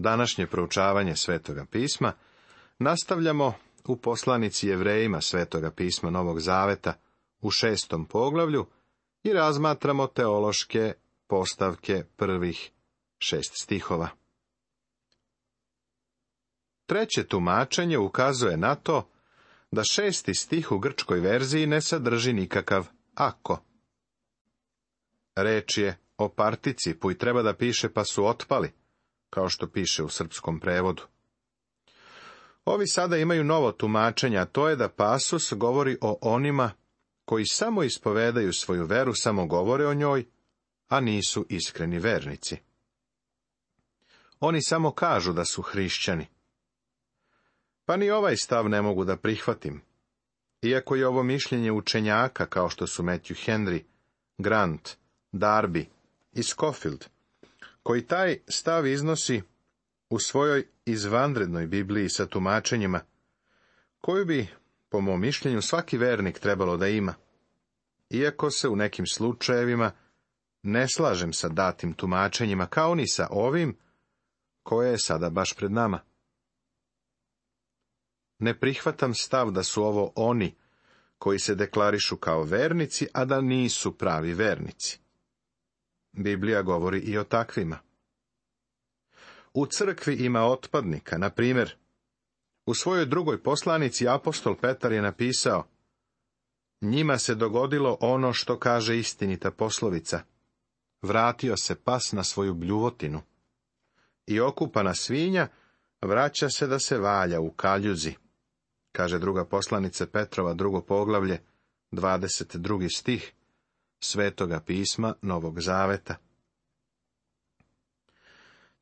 današnje proučavanje Svetoga pisma nastavljamo u poslanici Jevrejima Svetoga pisma Novog Zaveta u 6. poglavlju i razmatramo teološke postavke prvih 6 stihova. Treće tumačenje ukazuje na to da 6. stih u grčkoj verziji ne sadrži nikakav ako. Reč je o participu i treba da piše pa su otpali, kao što piše u srpskom prevodu. Ovi sada imaju novo tumačenje, a to je da pasus govori o onima koji samo ispovedaju svoju veru, samo govore o njoj, a nisu iskreni vernici. Oni samo kažu da su hrišćani. Pa ni ovaj stav ne mogu da prihvatim, iako je ovo mišljenje učenjaka kao što su Matthew Henry, Grant, Darby i Scofield, koji taj stav iznosi u svojoj izvanrednoj Bibliji sa tumačenjima, koju bi, po mom mišljenju, svaki vernik trebalo da ima, iako se u nekim slučajevima ne slažem sa datim tumačenjima, kao ni sa ovim, koje je sada baš pred nama. Ne prihvatam stav da su ovo oni koji se deklarišu kao vernici, a da nisu pravi vernici. Biblija govori i o takvima. U crkvi ima otpadnika, na primjer, u svojoj drugoj poslanici apostol Petar je napisao: njima se dogodilo ono što kaže istinita poslovica, vratio se pas na svoju bljuvotinu, i okupana svinja vraća se da se valja u kaljuzi, kaže druga poslanica Petrova, 2. poglavlje, 22. stih Svetoga pisma Novog Zaveta.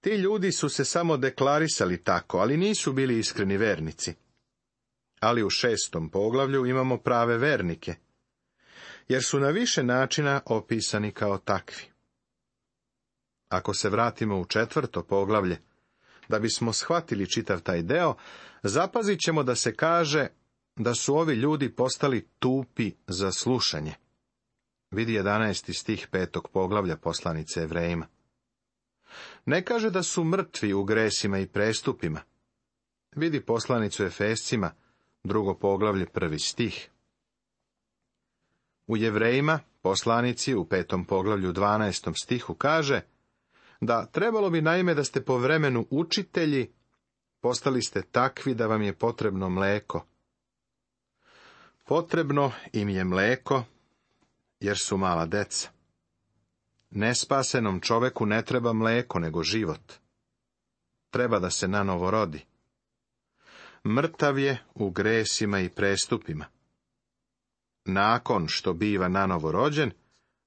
Ti ljudi su se samo deklarisali tako, ali nisu bili iskreni vernici. Ali u 6. poglavlju imamo prave vernike, jer su na više načina opisani kao takvi. Ako se vratimo u 4. poglavlje, da bismo shvatili čitav taj deo, zapazit ćemo da se kaže da su ovi ljudi postali tupi za slušanje. Vidi 11. stih 5. poglavlja poslanice Jevrejima. Ne kaže da su mrtvi u gresima i prestupima. Vidi poslanicu Efescima, 2. poglavlje, 1. stih. U Jevrejima, poslanici u 5. poglavlju, 12. stihu kaže da trebalo bi naime da ste po vremenu učitelji, postali ste takvi da vam je potrebno mleko. Potrebno im je mleko, jer su mala deca. Nespasenom čoveku ne treba mleko, nego život. Treba da se nanovo rodi. Mrtav je u gresima i prestupima. Nakon što biva nanovo rođen,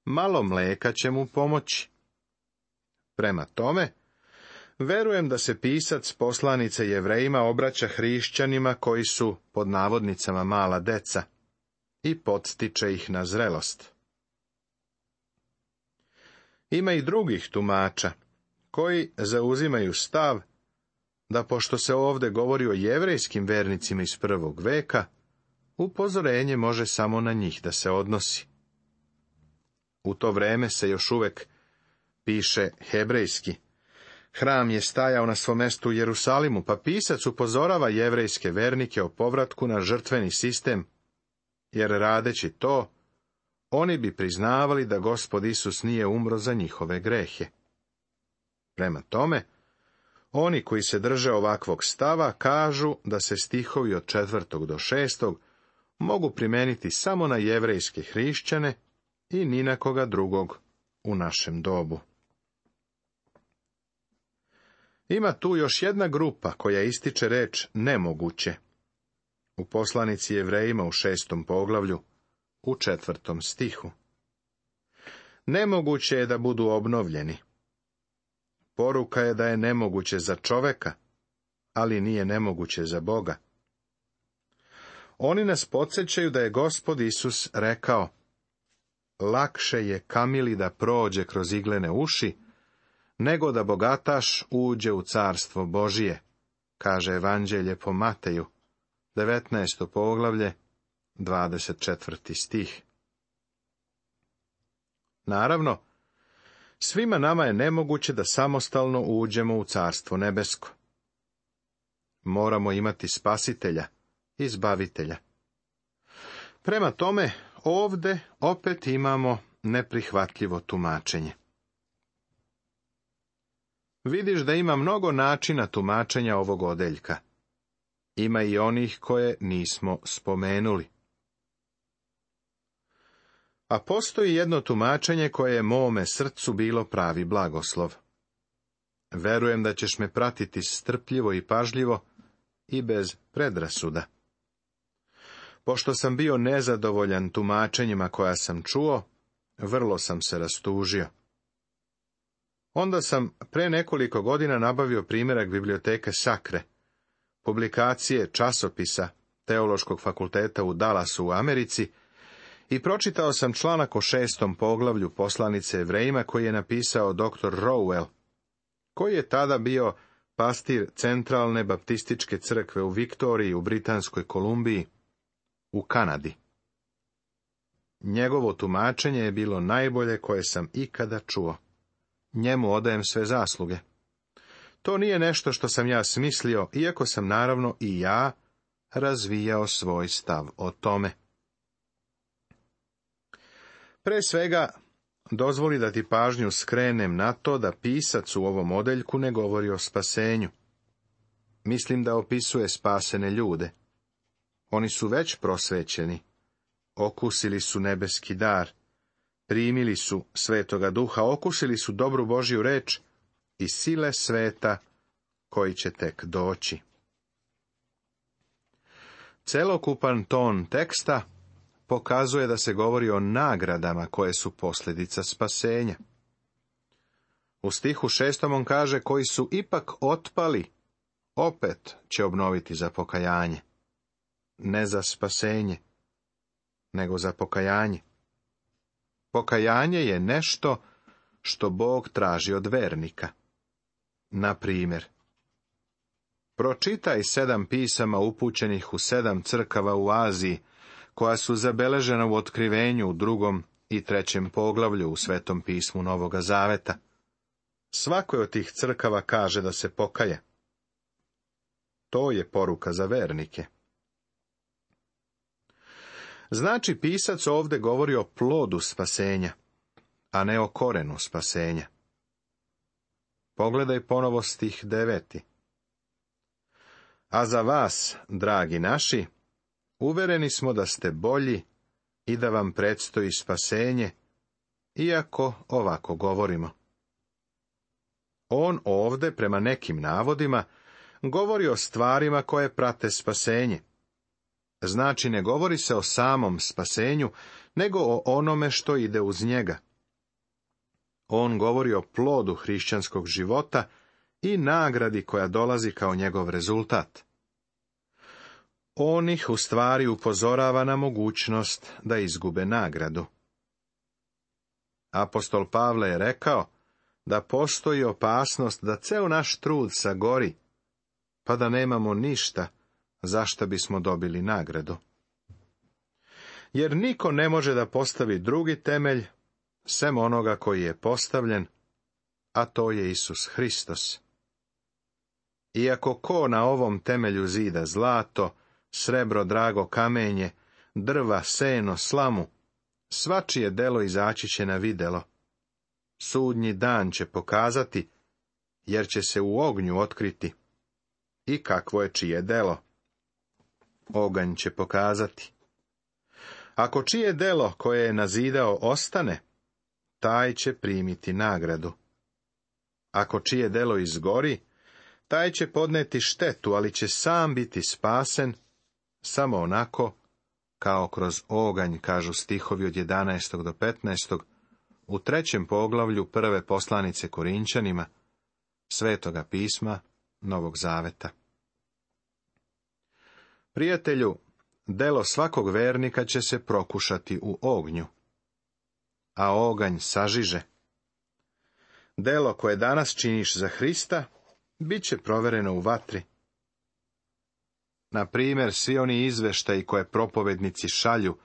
malo mleka će mu pomoći. Prema tome, verujem da se pisac poslanice Jevrejima obraća hrišćanima koji su, pod navodnicama, mala deca i podstiče ih na zrelost. Ima i drugih tumača koji zauzimaju stav da, pošto se ovdje govori o jevrejskim vernicima iz 1. veka, upozorenje može samo na njih da se odnosi. U to vreme se još uvek piše hebrejski. Hram je stajao na svom mestu u Jerusalimu, pa pisac upozorava jevrejske vernike o povratku na žrtveni sistem, jer radeći to, oni bi priznavali da Gospod Isus nije umro za njihove grehe. Prema tome, oni koji se drže ovakvog stava kažu da se stihovi od 4. do 6. mogu primeniti samo na jevrejske hrišćane i ni na koga drugog u našem dobu. Ima tu još jedna grupa koja ističe reč nemoguće. U poslanici Jevrejima u 6. poglavlju, u 4. stihu. Nemoguće je da budu obnovljeni. Poruka je da je nemoguće za čoveka, ali nije nemoguće za Boga. Oni nas podsjećaju da je Gospod Isus rekao: lakše je kamili da prođe kroz iglene uši, nego da bogataš uđe u carstvo Božije, kaže Evanđelje po Mateju, 19. poglavlje, 24. stih. Naravno, Svima nama je nemoguće da samostalno uđemo u Carstvo nebesko. Moramo imati spasitelja, izbavitelja. Prema tome, ovde opet imamo neprihvatljivo tumačenje. Vidiš da ima mnogo načina tumačenja ovog odeljka. Ima i onih koje nismo spomenuli. A postoji jedno tumačenje koje je mome srcu bilo pravi blagoslov. Verujem da ćeš me pratiti strpljivo i pažljivo i bez predrasuda. Pošto sam bio nezadovoljan tumačenjima koja sam čuo, vrlo sam se rastužio. Onda sam pre nekoliko godina nabavio primjerak biblioteke Sakre, publikacije časopisa Teološkog fakulteta u Dallasu u Americi, i pročitao sam članak o 6. poglavlju poslanice Jevrejima koji je napisao dr. Rowell, koji je tada bio pastir Centralne baptističke crkve u Viktoriji u Britanskoj Kolumbiji u Kanadi. Njegovo tumačenje je bilo najbolje koje sam ikada čuo. Njemu odajem sve zasluge. To nije nešto što sam ja smislio, iako sam naravno i ja razvijao svoj stav o tome. Pre svega, dozvoli da ti pažnju skrenem na to da pisac u ovom odeljku ne govori o spasenju. Mislim da opisuje spasene ljude. Oni su već prosvećeni, okusili su nebeski dar, primili su Svetoga Duha, okusili su dobru Božju reč i sile sveta koji će tek doći. Celokupan ton teksta pokazuje da se govori o nagradama koje su posljedica spasenja. U stihu 6. on kaže, koji su ipak otpali, opet će obnoviti za pokajanje. Ne za spasenje, nego za pokajanje. Pokajanje je nešto što Bog traži od vernika. Na primjer, pročitaj 7 pisama upućenih u 7 crkava u Aziji, koja su zabeležena u Otkrivenju u 2. i 3. poglavlju u Svetom pismu Novoga Zaveta. Svakoj od tih crkava kaže da se pokaje. To je poruka za vernike. Znači, pisac ovdje govori o plodu spasenja, a ne o korenu spasenja. Pogledaj ponovo stih 9. A za vas, dragi naši, uvereni smo da ste bolji i da vam predstoji spasenje, iako ovako govorimo. On ovdje, prema nekim navodima, govori o stvarima koje prate spasenje. Znači, ne govori se o samom spasenju, nego o onome što ide uz njega. On govori o plodu hrišćanskog života i nagradi koja dolazi kao njegov rezultat. On ih u stvari upozorava na mogućnost da izgube nagradu. Apostol Pavle je rekao da postoji opasnost da ceo naš trud sagori, pa da nemamo ništa za šta bismo dobili nagradu. Jer niko ne može da postavi drugi temelj, sem onoga koji je postavljen, a to je Isus Hristos. Iako ko na ovom temelju zida zlato, srebro, drago kamenje, drva, seno, slamu, svačije delo izaći će na videlo. Sudnji dan će pokazati, jer će se u ognju otkriti. I kakvo je čije delo? Oganj će pokazati. Ako čije delo koje je nazidao ostane, taj će primiti nagradu. Ako čije delo izgori, taj će podneti štetu, ali će sam biti spasen, samo onako kao kroz oganj, kažu stihovi od 11. do 15. u 3. poglavlju 1. poslanice Korinčanima, Svetoga pisma Novog Zaveta. Prijatelju, delo svakog vernika će se prokušati u ognju, a oganj sažiže. Delo koje danas činiš za Hrista, bit će provereno u vatri. Na primjer, svi oni izveštaji koje propovednici šalju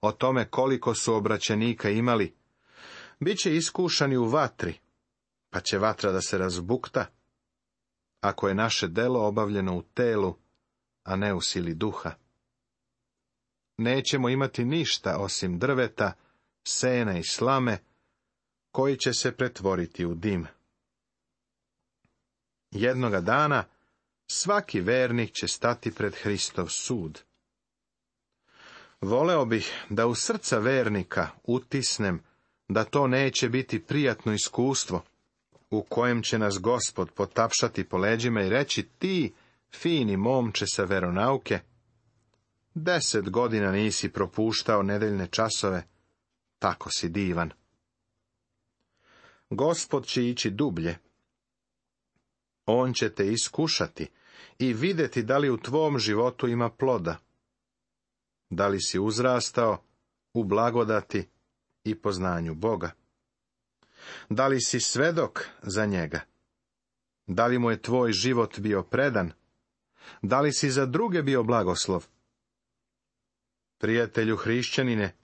o tome koliko su obraćenika imali, Biće iskušani u vatri, pa će vatra da se razbukta, ako je naše delo obavljeno u telu, a ne u sili duha. Nećemo imati ništa osim drveta, sena i slame, koji će se pretvoriti u dim. Jednoga dana svaki vernik će stati pred Hristov sud. Voleo bih da u srca vernika utisnem da to neće biti prijatno iskustvo, u kojem će nas Gospod potapšati po leđima i reći: ti, fini momče sa veronauke, 10 godina nisi propuštao nedeljne časove, tako si divan. Gospod će ići dublje. On će te iskušati i vidjeti da li u tvom životu ima ploda. Da li si uzrastao u blagodati i poznanju Boga? Da li si svedok za njega? Da li mu je tvoj život bio predan? Da li si za druge bio blagoslov? Prijatelju hrišćanine,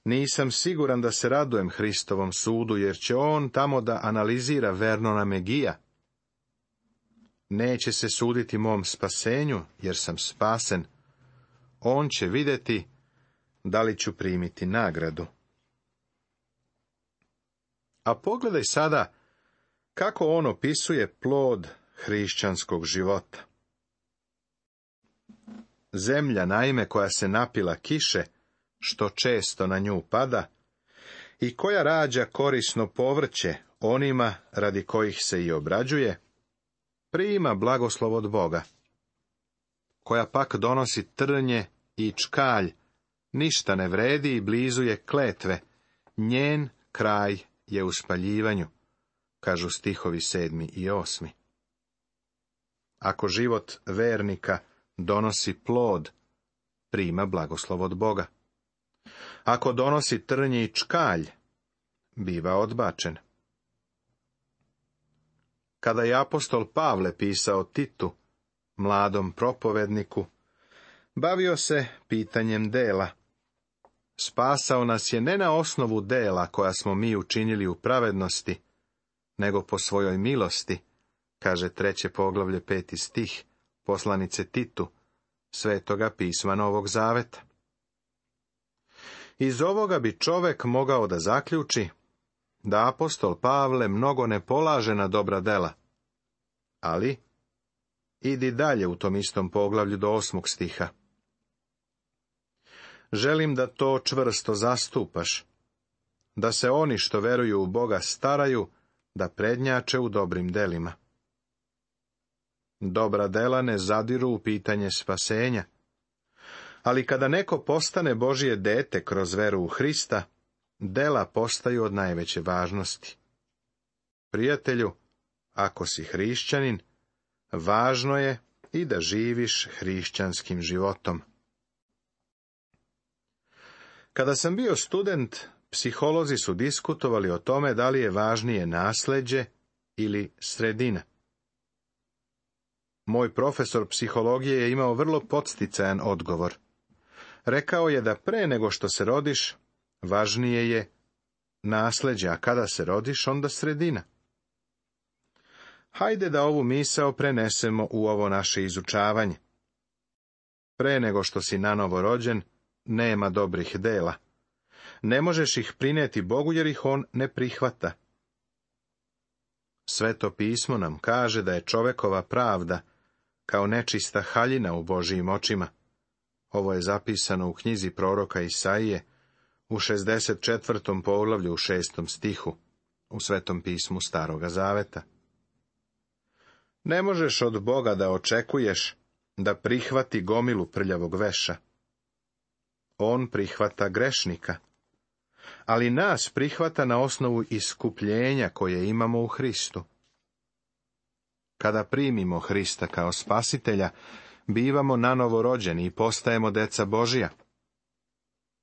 nisam siguran da se radujem Hristovom sudu, jer će on tamo da analizira Vernona Megija. Neće se suditi mom spasenju, jer sam spasen. On će vidjeti da li ću primiti nagradu. A pogledaj sada kako on opisuje plod hrišćanskog života. Zemlja, naime, koja se napila kiše, što često na nju pada, i koja rađa korisno povrće onima radi kojih se i obrađuje, prima blagoslov od Boga. Koja pak donosi trnje i čkalj, ništa ne vredi i blizu je kletve, njen kraj je u spaljivanju, kažu stihovi 7. i 8. Ako život vernika donosi plod, prima blagoslov od Boga. Ako donosi trnje i čkalj, biva odbačen. Kada je apostol Pavle pisao Titu, mladom propovedniku, bavio se pitanjem dela. Spasao nas je ne na osnovu dela koja smo mi učinili u pravednosti, nego po svojoj milosti, kaže 3. poglavlje 5. stih poslanice Titu, Svetoga pisma Novog Zaveta. Iz ovoga bi čovek mogao da zaključi da apostol Pavle mnogo ne polaže na dobra dela, ali idi dalje u tom istom poglavlju do 8. stiha. Želim da to čvrsto zastupaš, da se oni što veruju u Boga staraju da prednjače u dobrim delima. Dobra dela ne zadiru u pitanje spasenja, ali kada neko postane Božje dete kroz veru u Hrista, dela postaju od najveće važnosti. Prijatelju, ako si hrišćanin, važno je i da živiš hrišćanskim životom. Kada sam bio student, psiholozi su diskutovali o tome da li je važnije nasleđe ili sredina. Moj profesor psihologije je imao vrlo podsticajan odgovor. Rekao je da pre nego što se rodiš, važnije je nasleđe, a kada se rodiš, onda sredina. Hajde da ovu misao prenesemo u ovo naše izučavanje. Pre nego što si nanovo rođen, nema dobrih dela. Ne možeš ih prineti Bogu jer ih on ne prihvata. Sveto pismo nam kaže da je čovekova pravda kao nečista haljina u Božijim očima. Ovo je zapisano u knjizi proroka Isaije u 64. poglavlju u 6. stihu u Svetom pismu Staroga Zaveta. Ne možeš od Boga da očekuješ da prihvati gomilu prljavog veša. On prihvata grešnika, ali nas prihvata na osnovu iskupljenja koje imamo u Hristu. Kada primimo Hrista kao spasitelja, bivamo nanovo rođeni i postajemo deca Božija.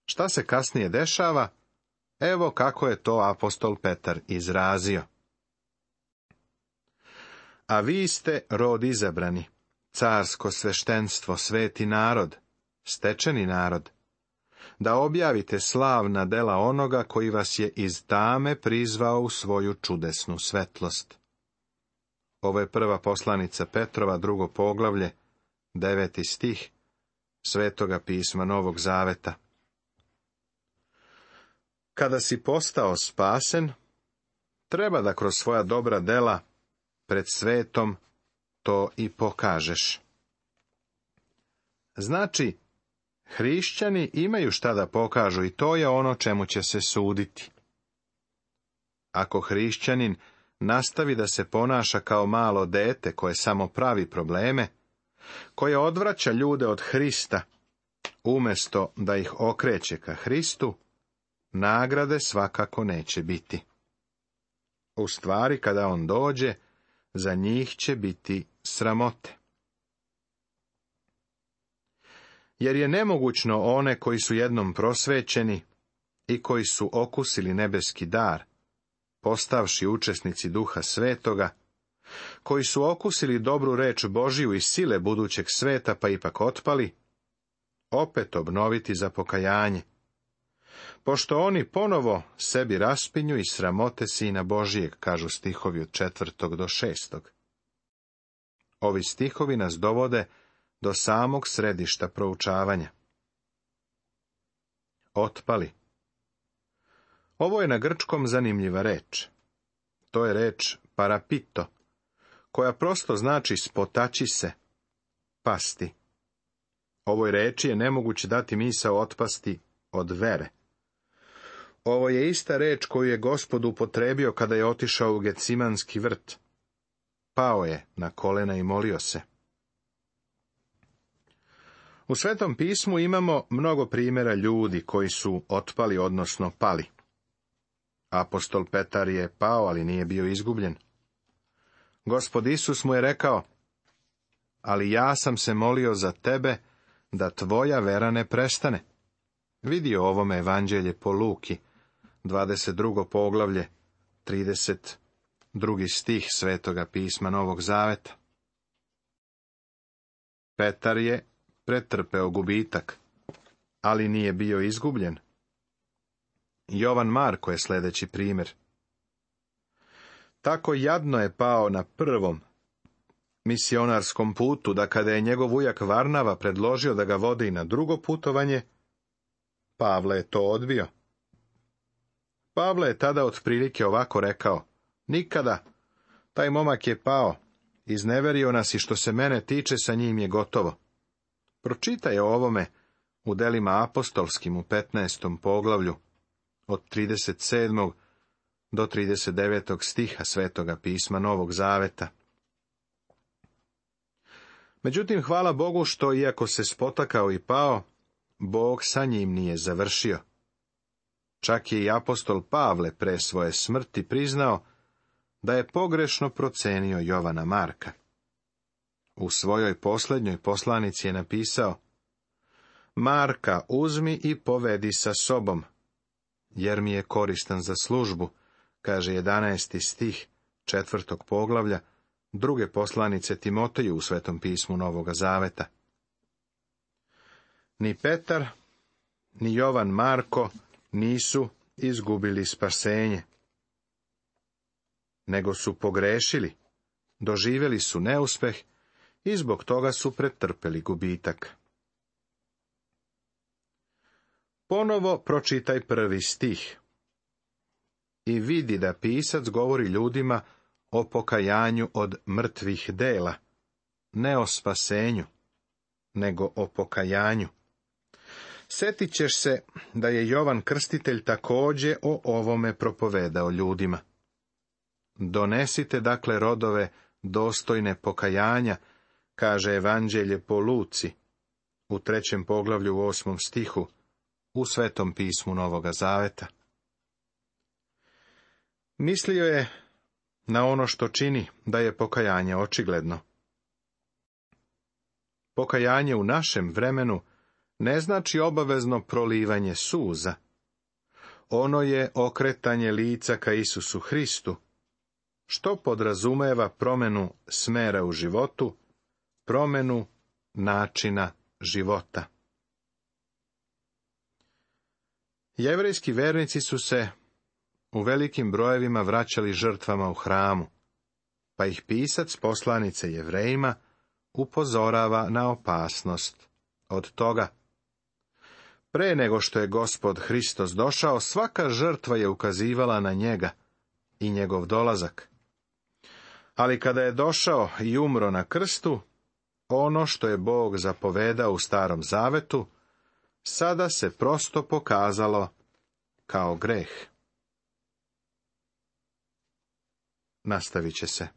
Šta se kasnije dešava? Evo kako je to apostol Petar izrazio. A vi ste rod izabrani, carsko sveštenstvo, sveti narod, stečeni narod, da objavite slavna dela onoga koji vas je iz tame prizvao u svoju čudesnu svetlost. Ovo je prva poslanica Petrova, 2. poglavlje, 9. stih Svetoga pisma Novog Zaveta. Kada si postao spasen, treba da kroz svoja dobra dela pred svetom to i pokažeš. Znači, hrišćani imaju šta da pokažu i to je ono čemu će se suditi. Ako hrišćanin nastavi da se ponaša kao malo dete koje samo pravi probleme, koje odvraća ljude od Hrista, umjesto da ih okreće ka Hristu, nagrade svakako neće biti. U stvari, kada on dođe, za njih će biti sramote. Jer je nemogućno one koji su jednom prosvećeni i koji su okusili nebeski dar, postavši učesnici Duha Svetoga, koji su okusili dobru reč Božiju i sile budućeg sveta pa ipak otpali, opet obnoviti za pokajanje, pošto oni ponovo sebi raspinju i sramote Sina Božijeg, kažu stihovi od 4. do 6. Ovi stihovi nas dovode do samog središta proučavanja. Otpali. Ovo je na grčkom zanimljiva reč. To je reč parapito, koja prosto znači spotaći se, pasti. Ovoj reči je nemoguće dati misao otpasti od vere. Ovo je ista reč koju je Gospod upotrebio kada je otišao u Gecimanski vrt. Pao je na kolena i molio se. U Svetom pismu imamo mnogo primjera ljudi koji su otpali, odnosno pali. Apostol Petar je pao, ali nije bio izgubljen. Gospod Isus mu je rekao: ali ja sam se molio za tebe, da tvoja vera ne prestane. Vidi o ovome evanđelje po Luki, 22. poglavlje, 32. stih Svetoga pisma Novog Zaveta. Petar je pretrpeo gubitak, ali nije bio izgubljen. Jovan Marko je sljedeći primjer. Tako jadno je pao na prvom misionarskom putu, da kada je njegov ujak Varnava predložio da ga vode i na drugo putovanje, Pavle je to odbio. Pavle je tada otprilike ovako rekao: nikada, taj momak je pao, izneverio nas i što se mene tiče sa njim je gotovo. Pročitaj o ovome u delima apostolskim u 15. poglavlju, od 37. do 39. stiha Svetoga pisma Novog Zaveta. Međutim, hvala Bogu što, iako se spotakao i pao, Bog sa njim nije završio. Čak je i apostol Pavle pre svoje smrti priznao da je pogrešno procenio Jovana Marka. U svojoj posljednjoj poslanici je napisao: Marka uzmi i povedi sa sobom, jer mi je koristan za službu, kaže 11. stih 4. poglavlja 2. poslanice Timoteju u Svetom pismu Novoga Zaveta. Ni Petar, ni Jovan Marko nisu izgubili spasenje, nego su pogrešili, doživjeli su neuspeh i zbog toga su pretrpeli gubitak. Ponovo pročitaj 1. stih i vidi da pisac govori ljudima o pokajanju od mrtvih dela, ne o spasenju, nego o pokajanju. Sjetit ćeš se da je Jovan Krstitelj također o ovome propovedao ljudima. Donesite dakle rodove dostojne pokajanja, kaže evanđelje po Luci, u 3. poglavlju u 8. stihu, u Svetom pismu Novoga Zaveta. Mislio je na ono što čini da je pokajanje očigledno. Pokajanje u našem vremenu ne znači obavezno prolivanje suza. Ono je okretanje lica ka Isusu Hristu, što podrazumeva promjenu smera u životu, promjenu načina života. Jevrejski vernici su se u velikim brojevima vraćali žrtvama u hramu, pa ih pisac poslanice Jevrejima upozorava na opasnost od toga. Pre nego što je Gospod Hristos došao, svaka žrtva je ukazivala na njega i njegov dolazak. Ali kada je došao i umro na krstu, ono što je Bog zapovedao u Starom Zavetu, sada se prosto pokazalo kao greh. Nastavit će se.